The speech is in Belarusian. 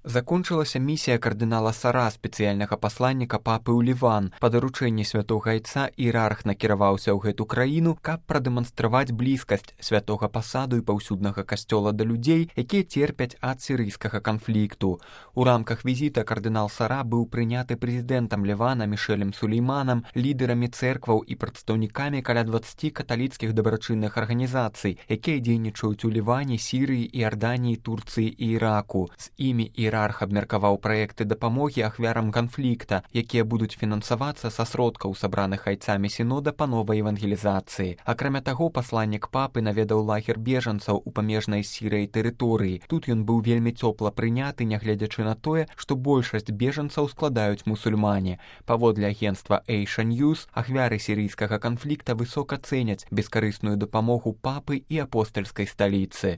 Закончылася місія кардынала Сара, спецыяльнага пасланніка папы ў Ліван. Па даручэнні святога айца іерарх накіраваўся ў гэту краіну, каб прадэманстраваць блізкасць святога пасаду і паўсюднага касцёла да людзей, якія церпяць ад сірыйскага канфлікту. У рамках візіта кардынал Сара быў прыняты прэзідэнтам Лівана Мішэлем Сулейманам, лідарамі цэркваў і прадстаўнікамі каля 20 каталіцкіх дабрачынных арганізацый, якія дзейнічаюць у Ліване, Сірыі, Іарданіі, Турцыі і Іраку. З імі іерарх абмеркаваў праекты дапамогі ахвярам канфлікта, якія будуць фінансавацца са сродкаў, сабраных айцамі сінода па новай евангелізацыі. Акрамя таго, пасланнік папы наведаў лагер бежанцаў у памежнай Сірыяй тэрыторыі. Тут ён быў вельмі цёпла прыняты, нягледзячы на тое, што большасць бежанцаў складаюць мусульмане. Паводле агенцтва Asia News, ахвяры сірыйскага канфлікта высока цэняць бескарысную дапамогу папы і апостальскай сталіцы.